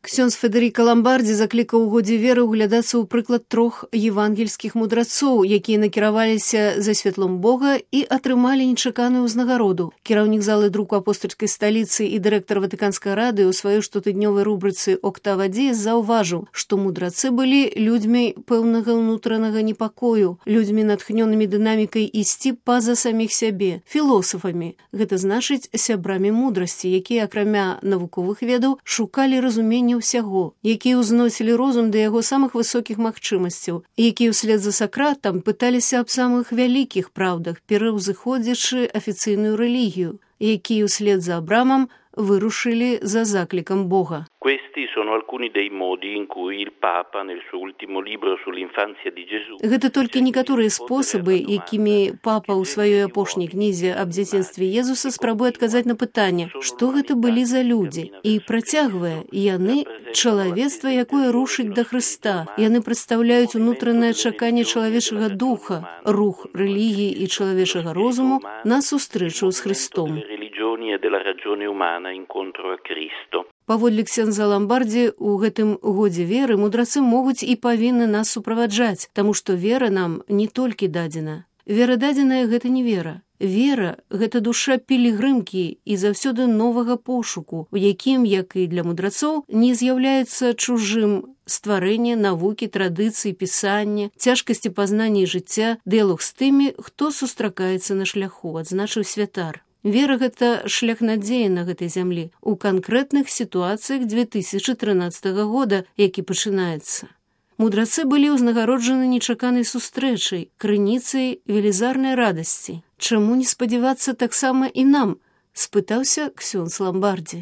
Ксёндз Федэрыка Ламбардзі заклікаў у годзе веры ўглядацца ў прыклад 3 евангельскіх мудрацоў, якія накіраваліся за святлом Бога і атрымалі нечаканую ўзнагароду. Кіраўнік залы друку апостальскай сталіцы і дырэктар Ватыканскай рады ў сваёй штотыднёвай рубрыцы «Октава Диес» заўважыў, што мудрацы былі людзьмі пэўнага ўнутранага непакою, людзьмі натхнёнымі дынамікай ісці па-за саміх сябе, філосафамі, гэта значыць сябрамі мудрасці, якія, акрамя навуковых ведаў, шукалі разумення ўсяго, якія ўзносілі розум да яго самых высокіх магчымасцяў, якія ўслед за Сакратам пыталіся аб самых вялікіх праўдах, пераўзыходзячы афіцыйную рэлігію, якія ўслед за Абрамам вырушылі за заклікам Бога. Questi sono alcuni dei modi in cui il Papa nel suo ultimo libro sull'infanzia di Gesù. Гэта толькі некаторыя спосабы, якімі папа ў сваёй апошняй кнізе аб дзяцінстве Езуса спрабуе адказаць на пытанне, што гэта былі за людзі, і працягвае, яны чалавецтва, якое рушыць да Хрыста. Яны прадстаўляюць унутранае чаканне чалавечага духа, рух рэлігіі і чалавечага розуму на сустрэчу з Хрыстом. Паводле ксёндза Ламбардзі, у гэтым годзе веры мудрацы могуць і павінны нас суправаджаць, таму што вера нам не толькі дадзена. Вера дадзеная – гэта не вера. Вера – гэта душа пілігрымкі і заўсёды новага пошуку, у якім, як і для мудрацоў, не з'яўляецца чужым стварэнне, навукі, традыцыі, пісання, цяжкасці пазнання і жыцця, дыялог з тымі, хто сустракаецца на шляху, адзначыў святар. Вера – гэта шлях надзеі на гэтай зямлі ў канкрэтных сітуацыях 2013 года, які пачынаецца. Мудрацы былі ўзнагароджаны нечаканай сустрэчай, крыніцай велізарнай радасці. Чаму не спадзявацца таксама і нам? – спытаўся ксёндз Ламбардзі.